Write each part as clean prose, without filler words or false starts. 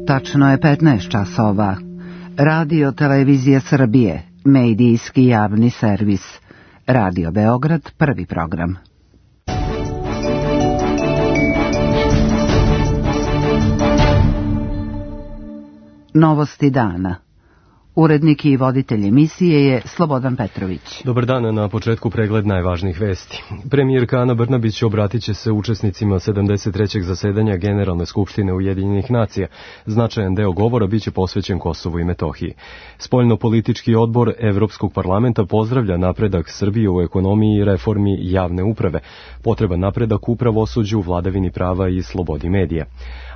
Tačno je 15 časova. Radio Televizija Srbije, medijski javni servis. Radio Beograd, prvi program. Novosti dana. Urednik i voditelj emisije je Slobodan Petrović. Dobar dan, na početku pregled najvažnijih vesti. Premijerka Ana Brnabić obratit će se učesnicima 73. zasedanja Generalne skupštine Ujedinjenih nacija. Značajan deo govora biće posvećen Kosovu i Metohiji. Spoljno-politički odbor Evropskog parlamenta pozdravlja napredak Srbije u ekonomiji i reformi javne uprave, potreban napredak u pravosuđu, vladavini prava i slobodi medija.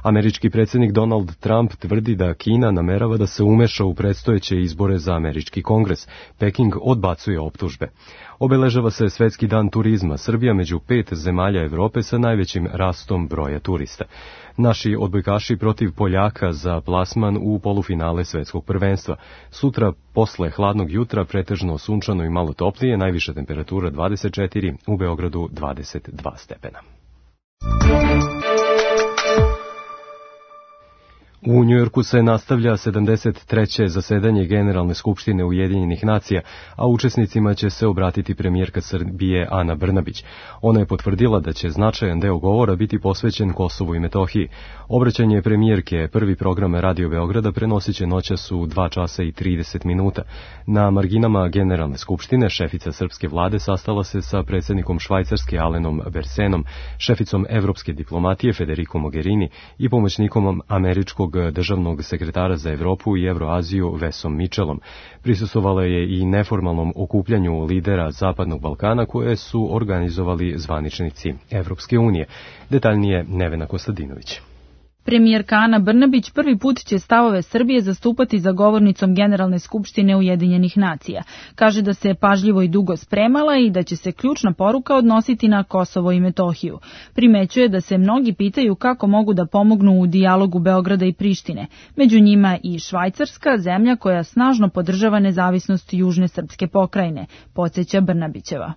Američki predsjednik Donald Trump tvrdi da Kina namerava da se umeša u predstojeće izbore za američki kongres. Peking odbacuje optužbe. Obeležava se Svetski dan turizma. Srbija među 5 zemalja Evrope sa najvećim rastom broja turista. Naši odbojkaši protiv Poljaka za plasman u polufinale svetskog prvenstva. Sutra posle hladnog jutra pretežno sunčano i malo toplije, najviša temperatura 24, u Beogradu 22 stepena. U Njujorku se nastavlja 73. zasedanje Generalne skupštine Ujedinjenih nacija, a učesnicima će se obratiti premijerka Srbije Ana Brnabić. Ona je potvrdila da će značajan deo govora biti posvećen Kosovu i Metohiji. Obraćanje premijerke, prvi program Radio Beograda, prenosit će noćas u 2 časa i 30 minuta. Na marginama Generalne skupštine šefica srpske vlade sastala se sa predsjednikom Švajcarske Alenom Bersenom, šeficom evropske diplomatije Federico Mogherini i pomoćnikom američkog državnog sekretara za Evropu i Evroaziju Vesom Mitchellom. Prisustvovala je i neformalnom okupljanju lidera Zapadnog Balkana koje su organizovali zvaničnici Evropske unije. Detaljnije Nevena Kostadinović. Premijerka Ana Brnabić prvi put će stavove Srbije zastupati za govornicom Generalne skupštine Ujedinjenih nacija. Kaže da se pažljivo i dugo spremala i da će se ključna poruka odnositi na Kosovo i Metohiju. Primećuje da se mnogi pitaju kako mogu da pomognu u dijalogu Beograda i Prištine. Među njima i Švajcarska, zemlja koja snažno podržava nezavisnost južne srpske pokrajine, podsjeća Brnabićeva.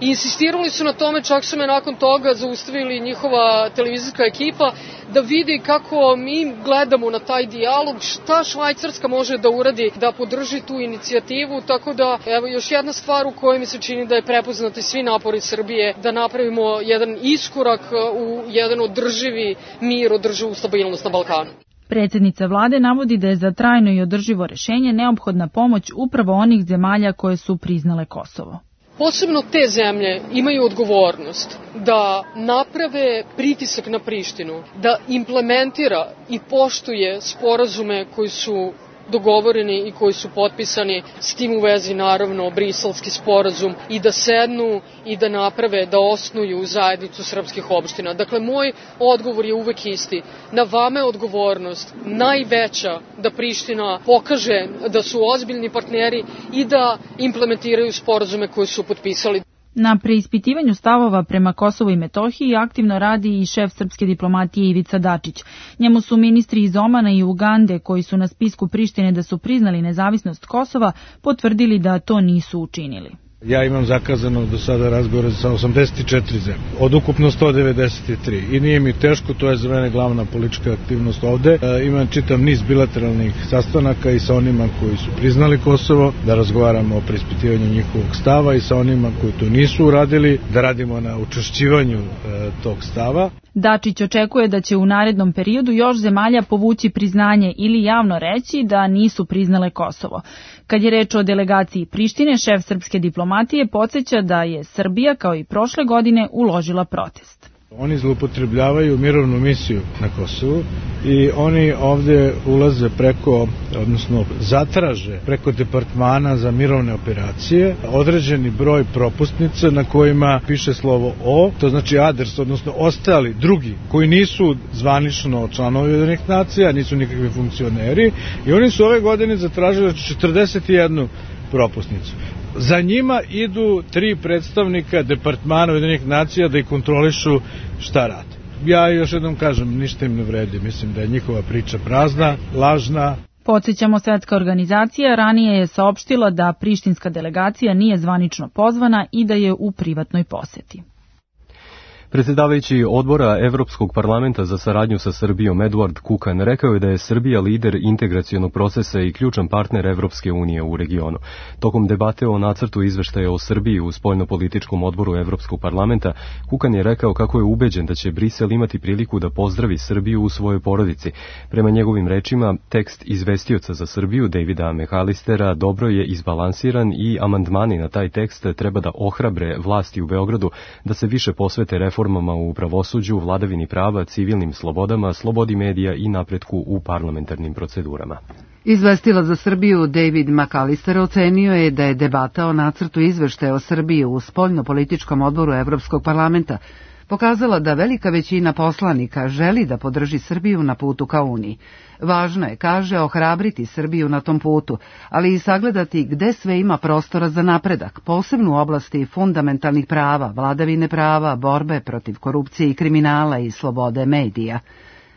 Insistirali su na tome, čak su me nakon toga zaustavili njihova televizijska ekipa da vidi kako mi gledamo na taj dijalog, šta Švajcarska može da uradi da podrži tu inicijativu, tako da evo još jedna stvar u kojoj mi se čini da je prepoznati svi napori Srbije da napravimo jedan iskorak u jedan održivi mir, održivu stabilnost na Balkanu. Predsjednica vlade navodi da je za trajno i održivo rešenje neophodna pomoć upravo onih zemalja koje su priznale Kosovo. Posebno te zemlje imaju odgovornost da naprave pritisak na Prištinu, da implementira i poštuje sporazume koji su dogovoreni i koji su potpisani, s tim u vezi naravno Briselski sporazum, i da sednu i da naprave, da osnuju zajednicu srpskih opština. Dakle, moj odgovor je uvek isti. Na vama je odgovornost najveća da Priština pokaže da su ozbiljni partneri i da implementiraju sporazume koje su potpisali. Na preispitivanju stavova prema Kosovu i Metohiji aktivno radi i šef srpske diplomatije Ivica Dačić. Njemu su ministri iz Omana i Ugande, koji su na spisku Prištine da su priznali nezavisnost Kosova, potvrdili da to nisu učinili. Ja imam zakazano do sada razgovore sa 84 zemlje, od ukupno 193. I nije mi teško, to je za mene glavna politička aktivnost ovde. Imam čitav niz bilateralnih sastanaka i sa onima koji su priznali Kosovo, da razgovaramo o preispitivanju njihovog stava, i sa onima koji to nisu uradili, da radimo na učvršćivanju tog stava. Dačić očekuje da će u narednom periodu još zemalja povući priznanje ili javno reći da nisu priznale Kosovo. Kad je reč o delegaciji Prištine, šef srpske diplomatije podsjeća da je Srbija, kao i prošle godine, uložila protest. Oni zloupotrebljavaju mirovnu misiju na Kosovu i oni ovde ulaze preko, odnosno zatraže preko departmana za mirovne operacije određeni broj propusnica na kojima piše slovo O, to znači adres, odnosno ostali drugi koji nisu zvanično članovi Ujedinjenih nacija, nisu nikakvi funkcioneri, i oni su ove godine zatražili 41 propusnicu. Za njima idu 3 predstavnika departmana Ujedinjenih nacija da ih kontrolišu šta rade. Ja još jednom kažem, ništa im ne vredi, mislim da je njihova priča prazna, lažna. Podsjećamo, Svetska organizacija ranije je saopštila da prištinska delegacija nije zvanično pozvana i da je u privatnoj poseti. Predsjedavajući odbora Evropskog parlamenta za saradnju sa Srbijom Eduard Kukan rekao je da je Srbija lider integracionog procesa i ključan partner Evropske unije u regionu. Tokom debate o nacrtu izveštaja o Srbiji u spoljnopolitičkom odboru Evropskog parlamenta, Kukan je rekao kako je ubeđen da će Brisel imati priliku da pozdravi Srbiju u svojoj porodici. Prema njegovim rečima, tekst izvestioca za Srbiju Davida McAllistera dobro je izbalansiran i amandmani na taj tekst treba da ohrabre vlasti u Beogradu da se više posvete reformama u pravosuđu, vladavini prava, civilnim slobodama, slobodi medija i napretku u parlamentarnim procedurama. Izvestilac za Srbiju David McAllister ocenio je da je debata o nacrtu izveštaja o Srbiji u spoljnopolitičkom odboru Evropskog parlamenta pokazala da velika većina poslanika želi da podrži Srbiju na putu ka Uniji. Važno je, kaže, ohrabriti Srbiju na tom putu, ali i sagledati gde sve ima prostora za napredak, posebno u oblasti fundamentalnih prava, vladavine prava, borbe protiv korupcije i kriminala i slobode medija.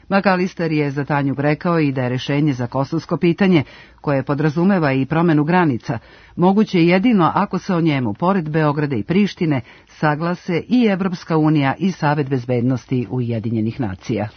McAllister je za Tanjug rekao i da je rešenje za kosovsko pitanje, koje podrazumeva i promenu granica, moguće jedino ako se o njemu, pored Beograda i Prištine, saglase i Evropska unija i Savet bezbednosti Ujedinjenih nacija.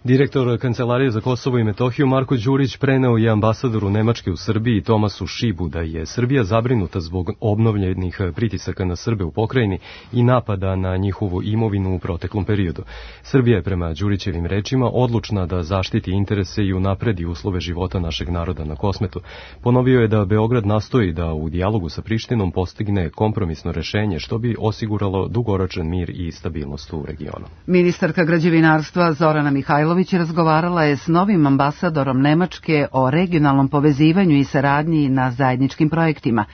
Direktor Kancelarije za Kosovo i Metohiju Marko Đurić preneo je ambasadoru Nemačke u Srbiji Tomasu Šibu da je Srbija zabrinuta zbog obnovljenih pritisaka na Srbe u pokrajini i napada na njihovu imovinu u proteklom periodu. Srbija je prema Đurićevim rečima odlučna da zaštiti interese i unapredi uslove života našeg naroda na Kosmetu. Ponovio je da Beograd nastoji da u dijalogu sa Prištinom postigne kompromisno rešenje što bi osiguralo dugoročan mir i stabilnost u regionu. Ministarka građevinarstva Zorana Mihajlović razgovarala je s novim ambasadorom Nemačke o regionalnom povezivanju i saradnji na zajedničkim projektima.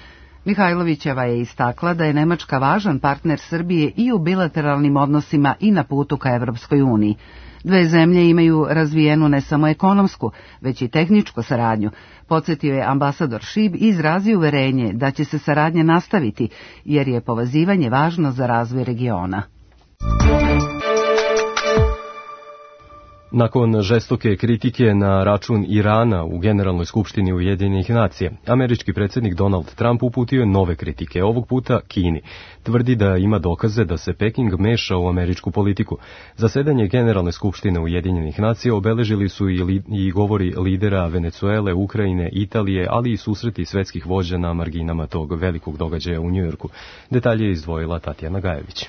Mihajlovićeva je istakla da je Nemačka važan partner Srbije i u bilateralnim odnosima i na putu ka Evropskoj uniji. Dve zemlje imaju razvijenu ne samo ekonomsku, već i tehničku saradnju. Podsjetio je ambasador Šib i izrazio uverenje da će se saradnja nastaviti, jer je povezivanje važno za razvoj regiona. Nakon žestoke kritike na račun Irana u Generalnoj skupštini Ujedinjenih nacija, američki predsjednik Donald Trump uputio je nove kritike, ovog puta Kini. Tvrdi da ima dokaze da se Peking meša u američku politiku. Zasedanje Generalne skupštine Ujedinjenih nacija obeležili su i govori lidera Venecuele, Ukrajine, Italije, ali i susreti svetskih vođa na marginama tog velikog događaja u Njujorku. Detalje je izdvojila Tatjana Gajević.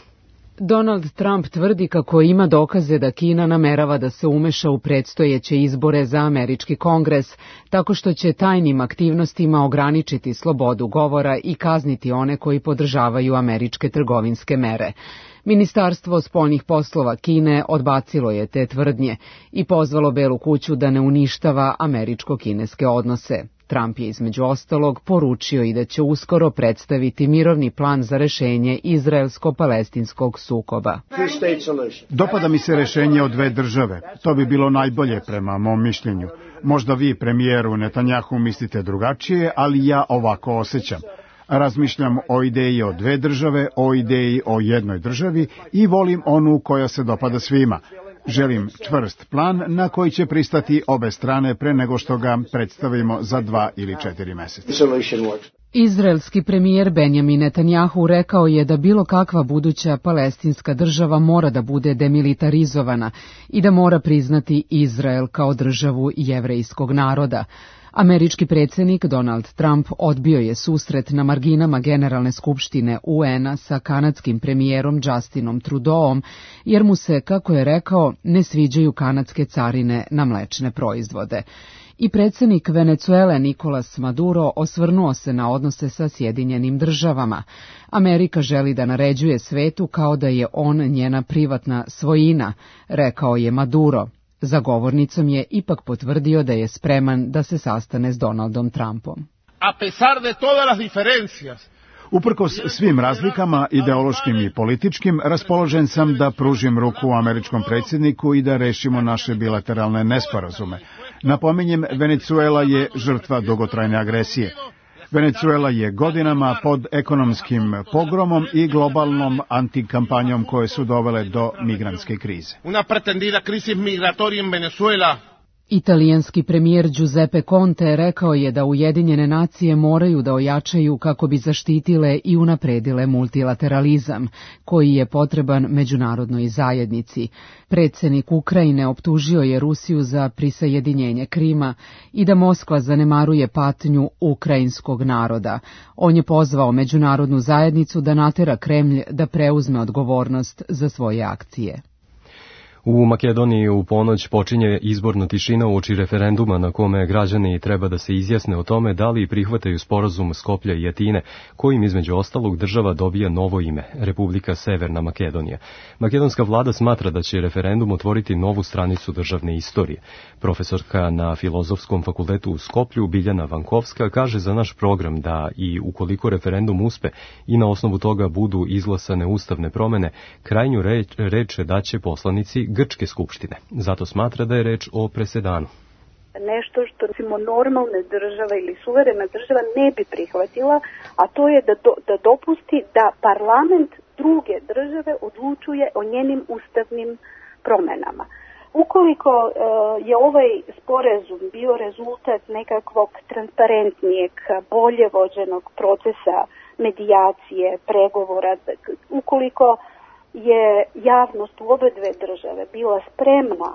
Donald Trump tvrdi kako ima dokaze da Kina namerava da se umeša u predstojeće izbore za američki kongres, tako što će tajnim aktivnostima ograničiti slobodu govora i kazniti one koji podržavaju američke trgovinske mere. Ministarstvo spoljnih poslova Kine odbacilo je te tvrdnje i pozvalo Belu kuću da ne uništava američko-kineske odnose. Trump je između ostalog poručio i da će uskoro predstaviti mirovni plan za rešenje izraelsko-palestinskog sukoba. Dopada mi se rešenje o dve države. To bi bilo najbolje prema mom mišljenju. Možda vi, premijeru Netanjahu, mislite drugačije, ali ja ovako osjećam. Razmišljam o ideji o dve države, o ideji o jednoj državi i volim onu koja se dopada svima. Želim čvrst plan na koji će pristati obe strane pre nego što ga predstavimo za 2 ili 4 meseca. Izraelski premijer Benjamin Netanjahu rekao je da bilo kakva buduća palestinska država mora da bude demilitarizovana i da mora priznati Izrael kao državu jevrejskog naroda. Američki predsjednik Donald Trump odbio je susret na marginama Generalne skupštine UN-a sa kanadskim premijerom Justinom Trudeauom, jer mu se, kako je rekao, ne sviđaju kanadske carine na mlečne proizvode. I predsjednik Venecuele Nicolas Maduro osvrnuo se na odnose sa Sjedinjenim državama. Amerika želi da naređuje svetu kao da je on njena privatna svojina, rekao je Maduro. Za govornicom je ipak potvrdio da je spreman da se sastane s Donaldom Trumpom. Uprkos svim razlikama, ideološkim i političkim, raspoložen sam da pružim ruku američkom predsjedniku i da rešimo naše bilateralne nesporazume. Napominjem, Venecuela je žrtva dugotrajne agresije. Venecuela je godinama pod ekonomskim pogromom i globalnom antikampanjom koje su dovele do migrantske krize. Una pretendida crisis migratoria en Venezuela Italijanski premijer Giuseppe Conte rekao je da Ujedinjene nacije moraju da ojačaju kako bi zaštitile i unapredile multilateralizam, koji je potreban međunarodnoj zajednici. Predsjednik Ukrajine optužio je Rusiju za prisajedinjenje Krima i da Moskva zanemaruje patnju ukrajinskog naroda. On je pozvao međunarodnu zajednicu da natera Kremlj da preuzme odgovornost za svoje akcije. U Makedoniji u ponoć počinje izborna tišina uoči referenduma na kome građani treba da se izjasne o tome da li prihvataju sporazum Skoplja i Atine, kojim između ostalog država dobija novo ime, Republika Severna Makedonija. Makedonska vlada smatra da će referendum otvoriti novu stranicu državne istorije. Profesorka na Filozofskom fakultetu u Skoplju, Biljana Vankovska, kaže za naš program da i ukoliko referendum uspe i na osnovu toga budu izglasane ustavne promene, krajnju reč daće poslanici Grčke skupštine. Zato smatra da je reč o presedanu. Nešto što recimo normalne države ili suverena država ne bi prihvatila, a to je da dopusti da parlament druge države odlučuje o njenim ustavnim promenama. Ukoliko je ovaj sporazum bio rezultat nekakvog transparentnijeg, bolje vođenog procesa medijacije, pregovora, ukoliko je javnost u obe dve države bila spremna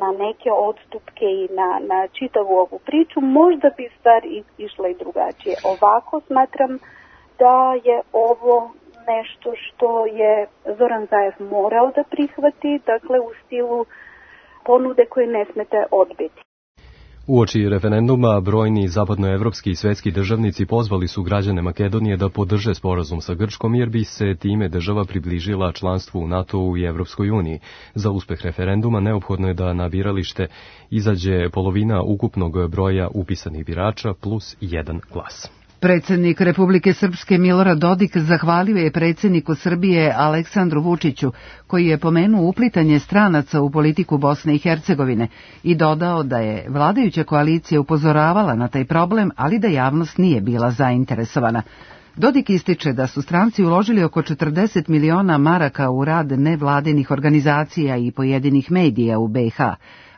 na neke odstupke i na čitavu ovu priču, možda bi stvar išla i drugačije. Ovako smatram da je ovo nešto što je Zoran Zaev morao da prihvati, dakle u stilu ponude koje ne smete odbiti. Uoči referenduma brojni zapadnoevropski i svetski državnici pozvali su građane Makedonije da podrže sporazum sa Grčkom jer bi se time država približila članstvu u NATO-u i Evropskoj uniji. Za uspeh referenduma neophodno je da na biralište izađe polovina ukupnog broja upisanih birača plus 1 glas. Predsjednik Republike Srpske Milorad Dodik zahvalio je predsjedniku Srbije Aleksandru Vučiću, koji je pomenuo uplitanje stranaca u politiku Bosne i Hercegovine i dodao da je vladajuća koalicija upozoravala na taj problem, ali da javnost nije bila zainteresovana. Dodik ističe da su stranci uložili oko 40 miliona maraka u rad nevladinih organizacija i pojedinih medija u BiH,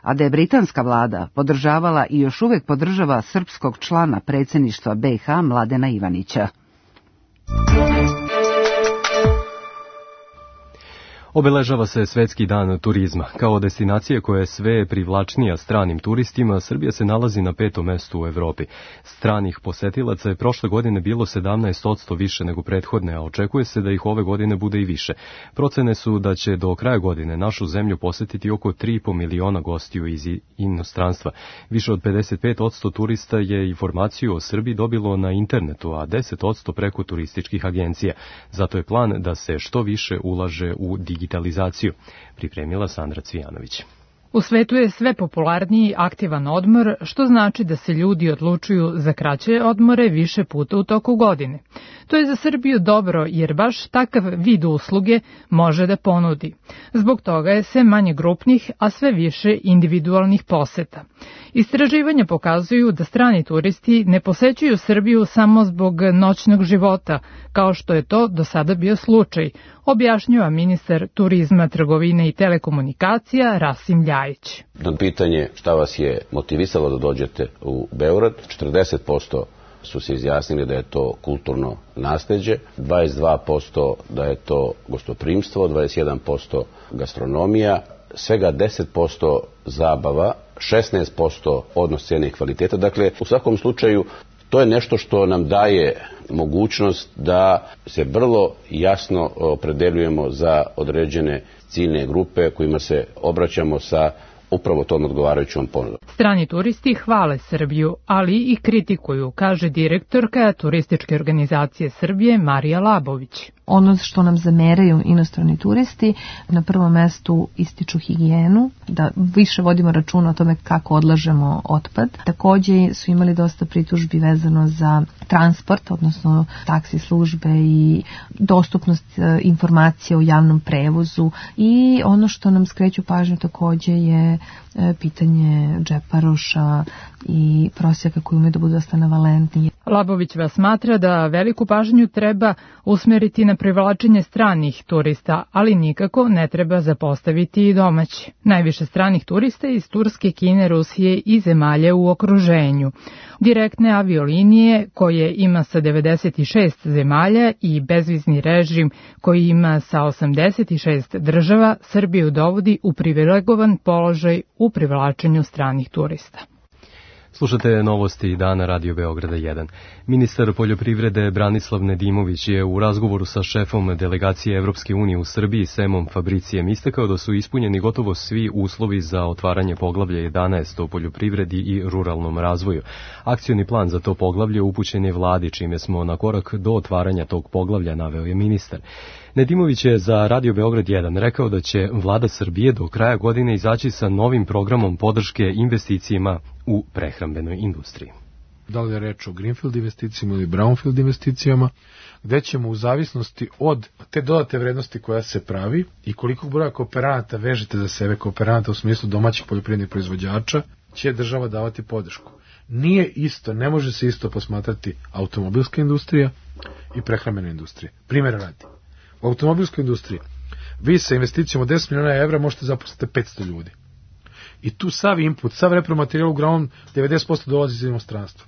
a da je britanska vlada podržavala i još uvek podržava srpskog člana predsjedništva BiH Mladena Ivanića. Obeležava se Svetski dan turizma. Kao destinacija koja je sve privlačnija stranim turistima, Srbija se nalazi na 5. mestu u Evropi. Stranih posetilaca je prošle godine bilo 17% više nego prethodne, a očekuje se da ih ove godine bude i više. Procene su da će do kraja godine našu zemlju posetiti oko 3,5 miliona gostiju iz inostranstva. Više od 55% turista je informaciju o Srbiji dobilo na internetu, a 10% preko turističkih agencija. Zato je plan da se što više ulaže u digitalizaciju, pripremila Sandra Cvijanović. U svetu je sve popularniji aktivan odmor, što znači da se ljudi odlučuju za kraće odmore više puta u toku godine. To je za Srbiju dobro jer baš takav vid usluge može da ponudi. Zbog toga je sve manje grupnih, a sve više individualnih poseta. Istraživanja pokazuju da strani turisti ne posećuju Srbiju samo zbog noćnog života, kao što je to do sada bio slučaj, objašnjava ministar turizma, trgovine i telekomunikacija Rasim Ljajić. Na pitanje šta vas je motivisalo da dođete u Beograd, 40% su se izjasnili da je to kulturno nasleđe, 22% da je to gostoprimstvo, 21% gastronomija, svega 10% zabava, 16% odnos cene i kvaliteta. Dakle, u svakom slučaju to je nešto što nam daje mogućnost da se vrlo jasno opredeljujemo za određene ciljne grupe kojima se obraćamo sa upravo tom odgovarajućom ponudom. Strani turisti hvale Srbiju, ali i kritikuju, kaže direktorka turističke organizacije Srbije Marija Labović. Ono što nam zameraju inostrani turisti, na prvom mestu ističu higijenu, da više vodimo računa o tome kako odlažemo otpad. Takođe su imali dosta pritužbi vezano za transport, odnosno taksi službe i dostupnost informacija o javnom prevozu. I ono što nam skreću pažnju takođe je pitanje džeparoša i prosjaka koji umeju da budu dosta navalentni. Labović vas smatra da veliku pažnju treba usmeriti na privlačenje stranih turista, ali nikako ne treba zapostaviti i domaći. Najviše stranih turista iz Turske, Kine, Rusije i zemalja u okruženju. Direktne aviolinije koje ima sa 96 zemalja i bezvizni režim koji ima sa 86 država Srbiju dovodi u privilegovan položaj u privlačenju stranih turista. Slušate novosti dana Radio Beograda 1. Ministar poljoprivrede Branislav Nedimović je u razgovoru sa šefom delegacije Evropske unije u Srbiji Semom Fabricijem istakao da su ispunjeni gotovo svi uslovi za otvaranje poglavlja 11 o poljoprivredi i ruralnom razvoju. Akcioni plan za to poglavlje upućen je vladi, čime smo na korak do otvaranja tog poglavlja, naveo je ministar. Nedimović je za Radio Beograd 1 rekao da će vlada Srbije do kraja godine izaći sa novim programom podrške investicijama u prehrambenoj industriji. Da li je reč o greenfield investicijama ili brownfield investicijama, gde ćemo u zavisnosti od te dodate vrednosti koja se pravi i koliko broja kooperanata vežete za sebe, kooperanata u smislu domaćih poljoprivrednih proizvođača, će država davati podršku. Nije isto, ne može se isto posmatrati automobilska industrija i prehrambena industrija. Primjera radi. U automobilskoj industriji vi sa investicijom od 10 miliona evra možete zaposliti 500 ljudi. I tu sav input, sav repromaterijal uglavnom 90% dolazi iz inostranstva.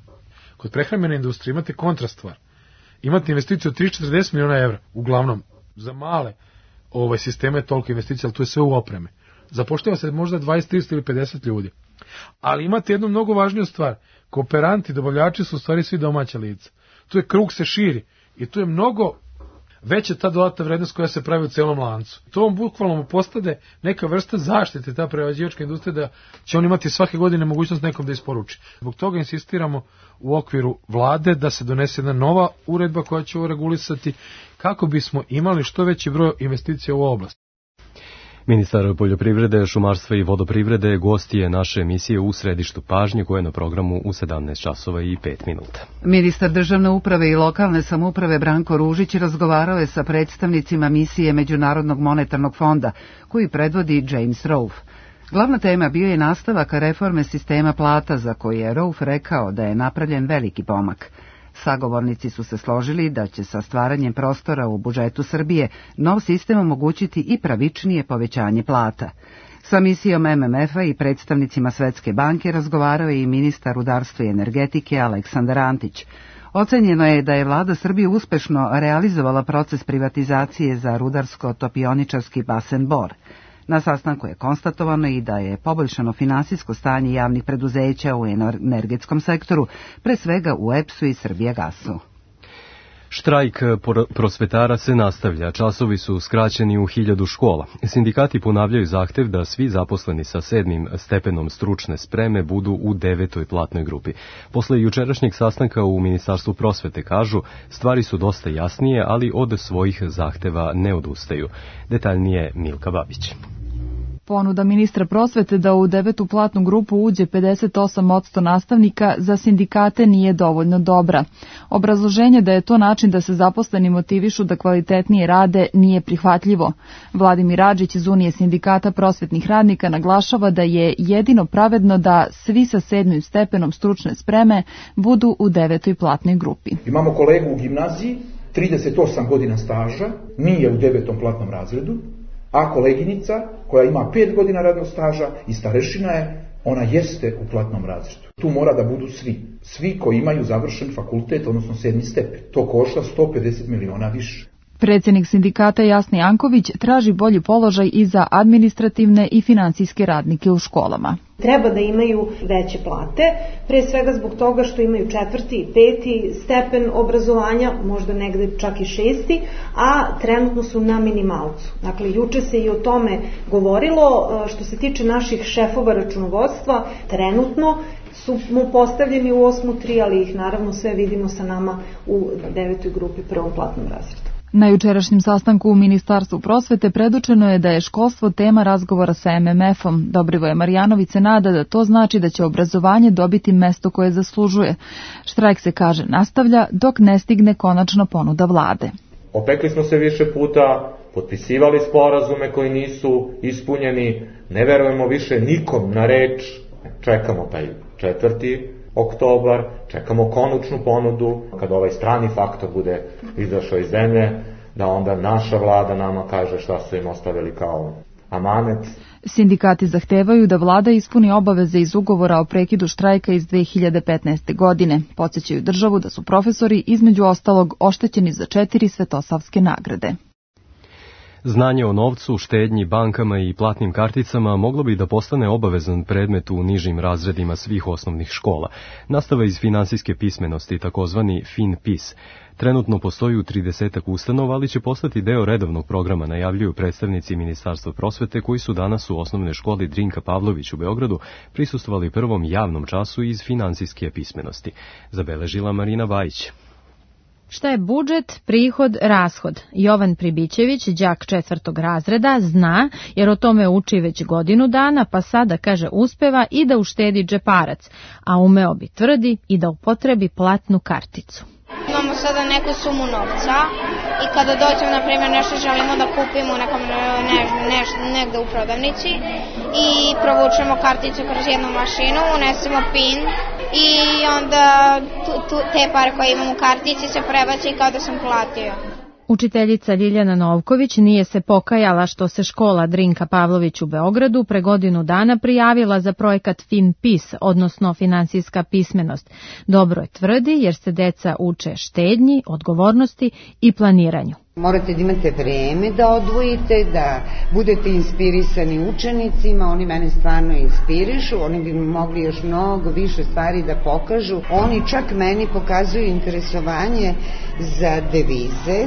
Kod prehrambene industrije imate kontrastvar. Imate investiciju od 30-40 miliona evra, uglavnom za male sisteme je toliko investicija, ali tu je sve u opreme. Zapošljava se možda 20, 30 ili 50 ljudi. Ali imate jednu mnogo važniju stvar. Kooperanti, dobavljači su u stvari svi domaća lica. Tu je krug se širi i tu je mnogo veća ta dodatna vrednost koja se pravi u celom lancu. To vam bukvalno postade neka vrsta zaštite, ta prerađivačka industrija, da će on imati svake godine mogućnost nekom da isporuči. Zbog toga insistiramo u okviru vlade da se donese jedna nova uredba koja će ovo regulisati kako bismo imali što veći broj investicija u oblast. Ministar poljoprivrede, šumarstva i vodoprivrede gost je naše emisije U središtu pažnje koje je na programu u 17 časova i 5 minuta. Ministar državne uprave i lokalne samouprave Branko Ružić razgovarao je sa predstavnicima misije Međunarodnog monetarnog fonda koji predvodi James Rolfe. Glavna tema bio je nastavak reforme sistema plata za koji je Rolfe rekao da je napravljen veliki pomak. Sagovornici su se složili da će sa stvaranjem prostora u budžetu Srbije nov sistem omogućiti i pravičnije povećanje plata. Sa misijom MMF-a i predstavnicima Svetske banke razgovarao je i ministar rudarstva i energetike Aleksandar Antić. Ocenjeno je da je vlada Srbije uspešno realizovala proces privatizacije za rudarsko-topioničarski basen Bor. Na sastanku je konstatovano i da je poboljšano finansijsko stanje javnih preduzeća u energetskom sektoru, pre svega u EPS-u i Srbijagasu. Štrajk prosvetara se nastavlja, časovi su skraćeni u 1000 škola. Sindikati ponavljaju zahtev da svi zaposleni sa 7. stepenom stručne spreme budu u 9. platnoj grupi. Posle jučerašnjeg sastanka u Ministarstvu prosvete kažu, stvari su dosta jasnije, ali od svojih zahteva ne odustaju. Detaljnije Milka Babić. Ponuda ministra prosvete da u 9. platnu grupu uđe 58% nastavnika za sindikate nije dovoljno dobra. Obrazloženje da je to način da se zaposleni motivišu da kvalitetnije rade nije prihvatljivo. Vladimir Adžić iz Unije sindikata prosvetnih radnika naglašava da je jedino pravedno da svi sa 7. stepenom stručne spreme budu u 9. platnoj grupi. Imamo kolegu u gimnaziji, 38 godina staža, nije u 9. platnom razredu, a koleginica koja ima 5 godina radnog staža i starešina je, ona jeste u platnom razredu. Tu mora da budu svi koji imaju završen fakultet, odnosno 7. stepen. To košta 150 miliona više. Predsjednik sindikata Jasni Janković traži bolji položaj i za administrativne i finansijske radnike u školama. Treba da imaju veće plate, pre svega zbog toga što imaju 4. i 5. stepen obrazovanja, možda negde čak i 6. a trenutno su na minimalcu. Dakle, juče se i o tome govorilo. Što se tiče naših šefova računovodstva, trenutno su mu postavljeni u 8.3, ali ih naravno sve vidimo sa nama u 9. grupi, prvom platnom razredu. Na jučerašnjem sastanku u Ministarstvu prosvete predočeno je da je školstvo tema razgovora sa MMF-om. Dobrivoje Marjanović se nada da to znači da će obrazovanje dobiti mesto koje zaslužuje. Štrajk se, kaže, nastavlja dok ne stigne konačna ponuda vlade. Opekli smo se više puta, potpisivali sporazume koji nisu ispunjeni, ne verujemo više nikom na reč, čekamo taj 4. oktobar, čekamo konačnu ponudu, kad ovaj strani faktor bude izašao iz zemlje, da onda naša vlada nama kaže šta su im ostavili kao amanet. Sindikati zahtevaju da vlada ispuni obaveze iz ugovora o prekidu štrajka iz 2015. godine. Podsećaju državu da su profesori između ostalog oštećeni za 4 Svetosavske nagrade. Znanje o novcu, štednji, bankama i platnim karticama moglo bi da postane obavezan predmet u nižim razredima svih osnovnih škola. Nastava iz finansijske pismenosti, takozvani FinPis. Trenutno postoji u 30 ustanova, ali će postati deo redovnog programa, najavljuju predstavnici Ministarstva prosvete koji su danas u osnovnoj školi Drinka Pavlović u Beogradu prisustvovali prvom javnom času iz finansijske pismenosti. Zabeležila Marina Bajić. Šta je budžet, prihod, rashod? Jovan Pribićević, đak 4. razreda, zna, jer o tome uči već godinu dana, pa sada, kaže, uspeva i da uštedi džeparac, a umeo bi, tvrdi, i da upotrebi platnu karticu. Imamo sada neku sumu novca i kada dođemo, na primjer, nešto želimo da kupimo negde u prodavnici i provučemo karticu kroz jednu mašinu, unesemo PIN i onda te pare koje imam u kartici se prebaci kao da sam platio. Učiteljica Ljiljana Novković nije se pokajala što se škola Drinka Pavlović u Beogradu pre godinu dana prijavila za projekat FinPis, odnosno finansijska pismenost. Dobro je, tvrdi, jer se deca uče štednji, odgovornosti i planiranju. Morate da imate vreme da odvojite, da budete inspirisani učenicima, oni mene stvarno inspirišu, oni bi mogli još mnogo više stvari da pokažu. Oni čak meni pokazuju interesovanje za devize.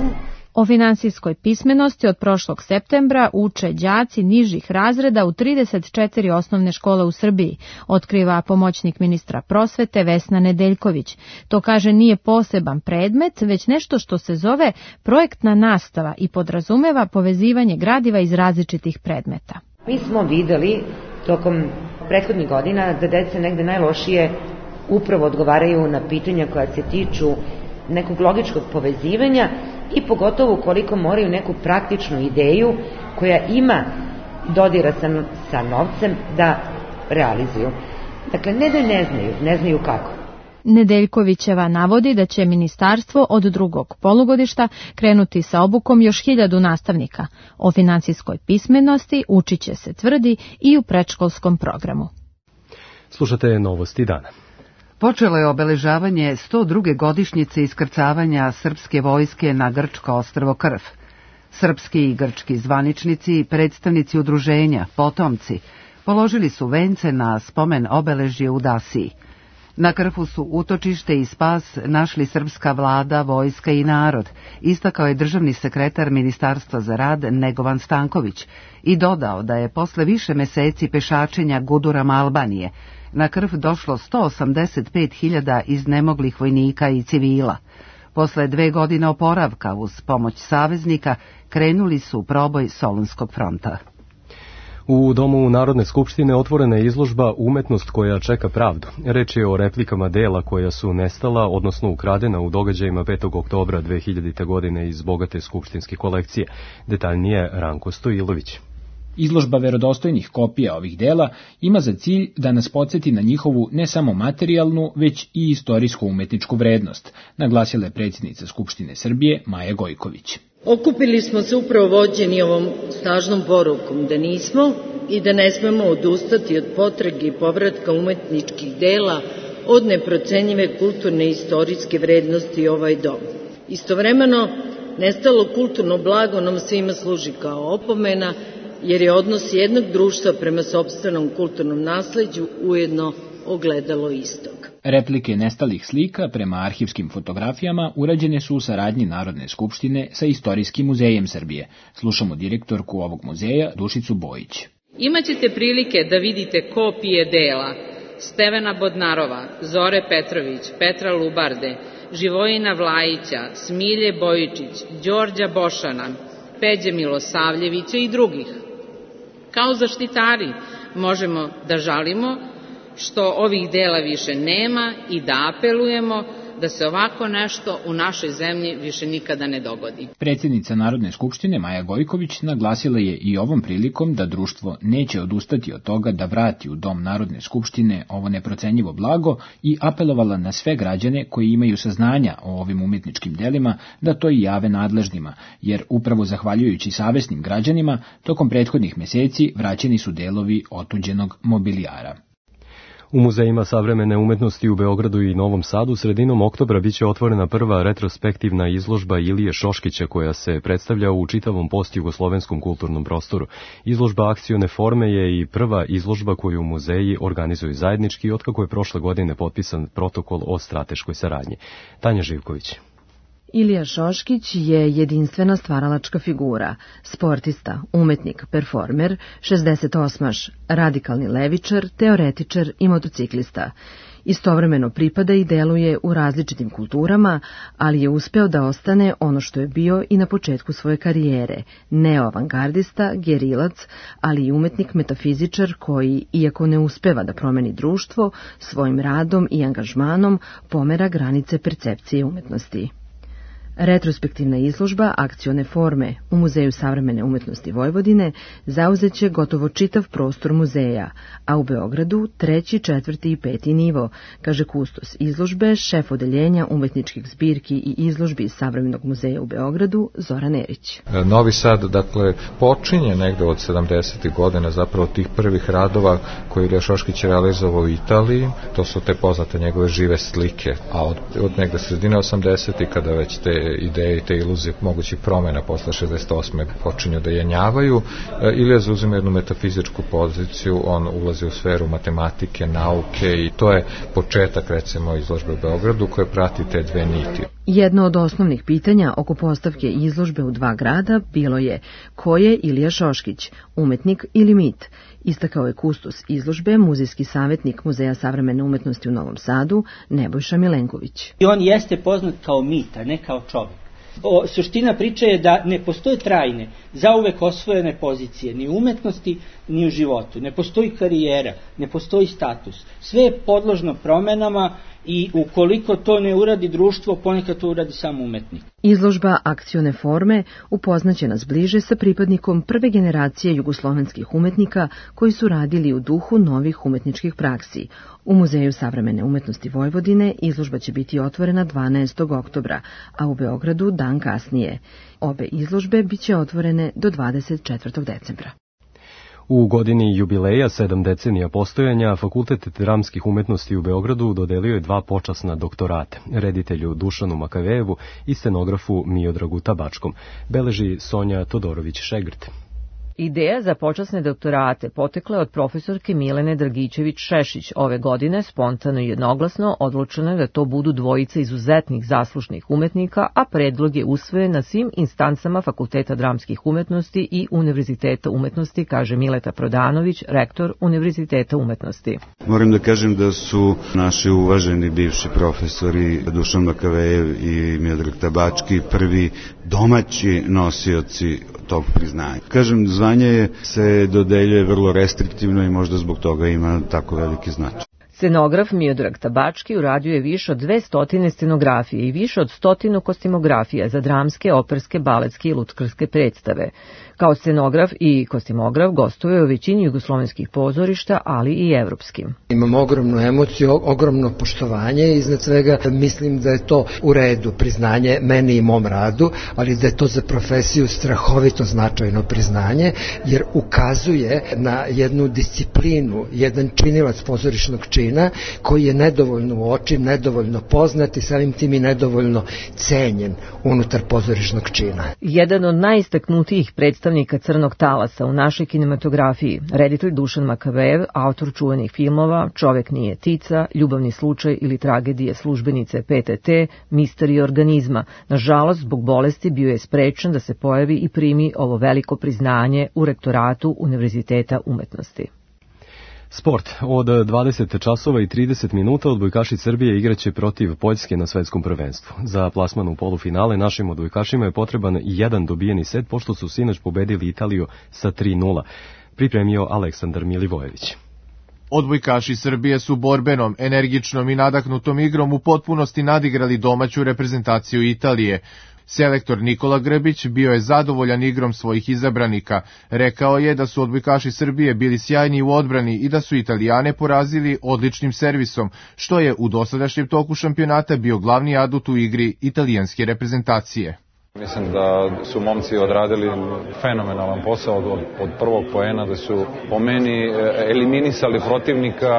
O finansijskoj pismenosti od prošlog septembra uče đaci nižih razreda u 34 osnovne škole u Srbiji, otkriva pomoćnik ministra prosvete Vesna Nedeljković. To, kaže, nije poseban predmet, već nešto što se zove projektna nastava i podrazumeva povezivanje gradiva iz različitih predmeta. Mi smo videli tokom prethodnih godina da deca negde najlošije upravo odgovaraju na pitanja koja se tiču nekog logičkog povezivanja i pogotovo koliko moraju neku praktičnu ideju koja ima dodira sa novcem da realizuju. Dakle, ne da ne znaju kako. Nedeljkovićeva navodi da će ministarstvo od drugog polugodišta krenuti sa obukom još 1000 nastavnika. O finansijskoj pismenosti učit će se, tvrdi, i u predškolskom programu. Slušate Novosti dana. Počelo je obeležavanje 102. godišnjice iskrcavanja srpske vojske na grčko ostrvo Krf. Srpski i grčki zvaničnici, predstavnici udruženja, potomci, položili su vence na spomen obeležje u Dasiji. Na Krfu su utočište i spas našli srpska vlada, vojska i narod, istakao je državni sekretar Ministarstva za rad Negovan Stanković i dodao da je posle više meseci pešačenja gudurama Albanije na Krf došlo 185.000 iznemoglih vojnika i civila. Posle 2 godine oporavka uz pomoć saveznika krenuli su u proboj Solunskog fronta. U Domu Narodne skupštine otvorena je izložba Umetnost koja čeka pravdu. Reč je o replikama dela koja su nestala, odnosno ukradena u događajima 5. oktobra 2000. godine iz bogate skupštinske kolekcije. Detaljnije Ranko Stojilović. Izložba verodostojnih kopija ovih dela ima za cilj da nas podsjeti na njihovu ne samo materijalnu, već i istorijsko-umetničku vrednost, naglasila je predsjednica Skupštine Srbije Maja Gojković. Okupili smo se upravo vođeni ovom snažnom porukom da nismo i da ne smemo odustati od potrage i povratka umetničkih dela od neprocenjive kulturne i istorijske vrednosti ovaj dom. Istovremeno, nestalo kulturno blago nam svima služi kao opomena, jer je odnos jednog društva prema sopstvenom kulturnom nasleđu ujedno ogledalo istog. Replike nestalih slika prema arhivskim fotografijama urađene su u saradnji Narodne skupštine sa Istorijskim muzejem Srbije. Slušamo direktorku ovog muzeja Dušicu Bojić. Imaćete prilike da vidite kopije dela Stevana Bodnarova, Zore Petrović, Petra Lubarde, Živojina Vlajića, Smilje Bojičić, Đorđa Bošana, Peđe Milosavljevića i drugih. Kao zaštitari možemo da žalimo što ovih dela više nema i da apelujemo da se ovako nešto u našoj zemlji više nikada ne dogodi. Predsjednica Narodne skupštine Maja Gojković naglasila je i ovom prilikom da društvo neće odustati od toga da vrati u Dom Narodne skupštine ovo neprocenjivo blago i apelovala na sve građane koji imaju saznanja o ovim umetničkim delima da to i jave nadležnima, jer upravo zahvaljujući savesnim građanima tokom prethodnih meseci vraćeni su delovi otuđenog mobilijara. U muzejima savremene umetnosti u Beogradu i Novom Sadu sredinom oktobra biće otvorena prva retrospektivna izložba Ilije Šoškića koja se predstavlja u čitavom postjugoslovenskom kulturnom prostoru. Izložba akcione forme je i prva izložba koju muzeji organizuju zajednički otkako je prošle godine potpisan protokol o strateškoj saradnji. Tanja Živković. Ilija Šoškić je jedinstvena stvaralačka figura, sportista, umetnik, performer, 68-aš, radikalni levičar, teoretičar i motociklista. Istovremeno pripada i deluje u različitim kulturama, ali je uspeo da ostane ono što je bio i na početku svoje karijere, neoavangardista, gerilac, ali i umetnik metafizičar koji, iako ne uspeva da promeni društvo, svojim radom i angažmanom pomera granice percepcije umetnosti. Retrospektivna izložba akcione forme u Muzeju savremene umetnosti Vojvodine zauzeće gotovo čitav prostor muzeja, a u Beogradu 3., 4. i 5. nivo, kaže kustos izložbe, šef odeljenja umetničkih zbirki i izložbi iz Savremenog muzeja u Beogradu, Zoran Erić. Novi Sad, dakle, počinje negde od 70. godina zapravo tih prvih radova koje Ilija Šoškić realizovao u Italiji, to su te poznate njegove žive slike, a od negde sredine 80. kada već te ideje i te iluzije mogućih promjena posle 68. počinju da jenjavaju. Ilija zauzima jednu metafizičku poziciju, on ulazi u sferu matematike, nauke i to je početak recimo izložbe u Beogradu koje prati te dve niti. Jedno od osnovnih pitanja oko postavke izložbe u dva grada bilo je ko je Ilija Šoškić, umetnik ili mit? Istakao je kustos izložbe, muzejski savjetnik Muzeja savremene umetnosti u Novom Sadu, Nebojša Milenković. I on jeste poznat kao mit, a ne kao čovjek. Suština priče je da ne postoje trajne, zauvek osvojene pozicije, ni u umetnosti, ni u životu. Ne postoji karijera, ne postoji status. Sve je podložno promenama i ukoliko to ne uradi društvo, ponekad to uradi samo umetnik. Izložba akcione forme upoznaće nas bliže sa pripadnikom prve generacije jugoslovenskih umetnika koji su radili u duhu novih umetničkih praksi. U Muzeju savremene umetnosti Vojvodine izložba će biti otvorena 12. oktobra, a u Beogradu dan kasnije. Obe izložbe biće otvorene do 24. decembra. U godini jubileja 7 decenija postojanja, Fakultet dramskih umetnosti u Beogradu dodelio je 2 počasna doktorate, reditelju Dušanu Makavejevu i scenografu Miodragu Tabačkom, beleži Sonja Todorović-Šegrt. Ideja za počasne doktorate potekla je od profesorke Milene Dragičević-Šešić. Ove godine spontano i jednoglasno odlučeno je da to budu dvojica izuzetnih zaslužnih umetnika, a predlog je usvojen na svim instancama Fakulteta dramskih umetnosti i Univerziteta umetnosti, kaže Mileta Prodanović, rektor Univerziteta umetnosti. Moram da kažem da su naši uvaženi bivši profesori Dušan Makavejev i Miodrag Tabački prvi domaći nosioci tog priznanja. Kažem, zvanje se dodeljuje vrlo restriktivno i možda zbog toga ima tako veliki značaj. Scenograf Miodrag Tabački uradio je više od 200 scenografije i više od 100 kostimografija za dramske, operske, baletske i lutkarske predstave. Kao scenograf i kostimograf gostuje u većini jugoslovenskih pozorišta, ali i evropskim. Imam ogromnu emociju, ogromno poštovanje i iznad svega mislim da je to u redu priznanje meni i mom radu, ali da je to za profesiju strahovito značajno priznanje, jer ukazuje na jednu disciplinu, jedan činilac pozorišnog čina koji je nedovoljno uočen, nedovoljno poznat i samim tim i nedovoljno cenjen unutar pozorišnog čina. Jedan od najistaknutijih predstavnika crnog talasa u našoj kinematografiji, reditelj Dušan Makavejev, autor čuvenih filmova Čovek nije tica, Ljubavni slučaj ili Tragedije službenice PTT, Misterij organizma. Nažalost, zbog bolesti bio je sprečen da se pojavi i primi ovo veliko priznanje u rektoratu Univerziteta umetnosti. Sport. Od 20 časova i 30 minuta odbojkaši Srbije igraće protiv Poljske na svetskom prvenstvu. Za plasman u polufinale našim odbojkašima je potreban jedan dobijeni set, pošto su sinoć pobedili Italiju sa 3:0. Pripremio Aleksandar Milivojević. Odbojkaši Srbije su borbenom, energičnom i nadahnutom igrom u potpunosti nadigrali domaću reprezentaciju Italije. Selektor Nikola Grbić bio je zadovoljan igrom svojih izabranika. Rekao je da su odbojkaši Srbije bili sjajni u odbrani i da su Italijane porazili odličnim servisom, što je u dosadašnjem toku šampionata bio glavni adut u igri italijanske reprezentacije. Mislim da su momci odradili fenomenalan posao od prvog poena, da su po meni eliminisali protivnika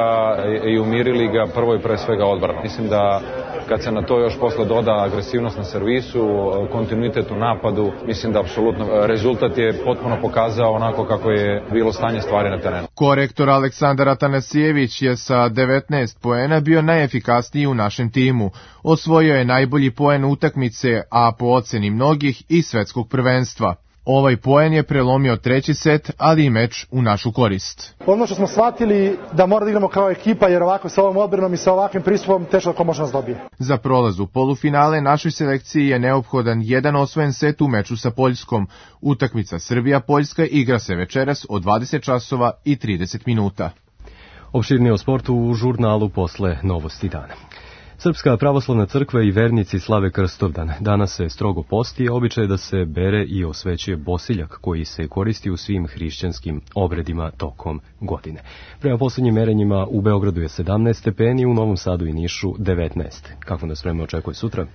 i umirili ga prvo i pre svega odbranom. Mislim da kad se na to još posle doda agresivnost na servisu, kontinuitet u napadu, mislim da apsolutno rezultat je potpuno pokazao onako kako je bilo stanje stvari na terenu. Korektor Aleksandar Atanasijević je sa 19 poena bio najefikasniji u našem timu. Osvojio je najbolji poen utakmice, a po oceni mnogih i svetskog prvenstva. Ovaj poen je prelomio treći set, ali i meč u našu korist. Ono što smo shvatili da mora da igramo kao ekipa, jer ovako sa ovom odbranom i sa ovakvim pristupom teško ko može nas dobije. Za prolaz u polufinale našoj selekciji je neophodan jedan osvojen set u meču sa Poljskom. Utakmica Srbija-Poljska igra se večeras od 20 časova i 30 minuta. Opširnije o sportu u žurnalu posle Novosti dana. Srpska pravoslavna crkva i vernici slave Krstovdan. Danas se strogo posti, a običaj je da se bere i osvećuje bosiljak koji se koristi u svim hrišćanskim obredima tokom godine. Prema poslednjim merenjima u Beogradu je 17 stepeni, u Novom Sadu i Nišu 19. Kako nas vreme očekuje sutra?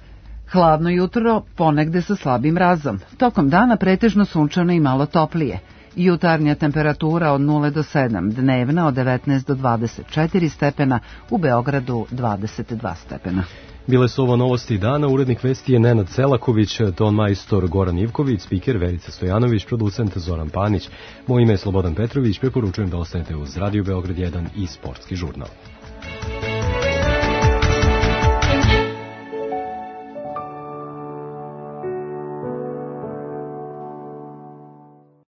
Hladno jutro, ponegde sa slabim mrazom. Tokom dana pretežno sunčano i malo toplije. Jutarnja temperatura od 0 do 7, dnevna od 19 do 24 stepena, u Beogradu 22 stepena. Bile su ovo novosti dana, urednik vesti je Nenad Selaković, ton majstor Goran Ivković, spiker Verica Stojanović, producent Zoran Panić. Moje ime je Slobodan Petrović, preporučujem da ostanete uz Radio Beograd 1 i Sportski žurnal.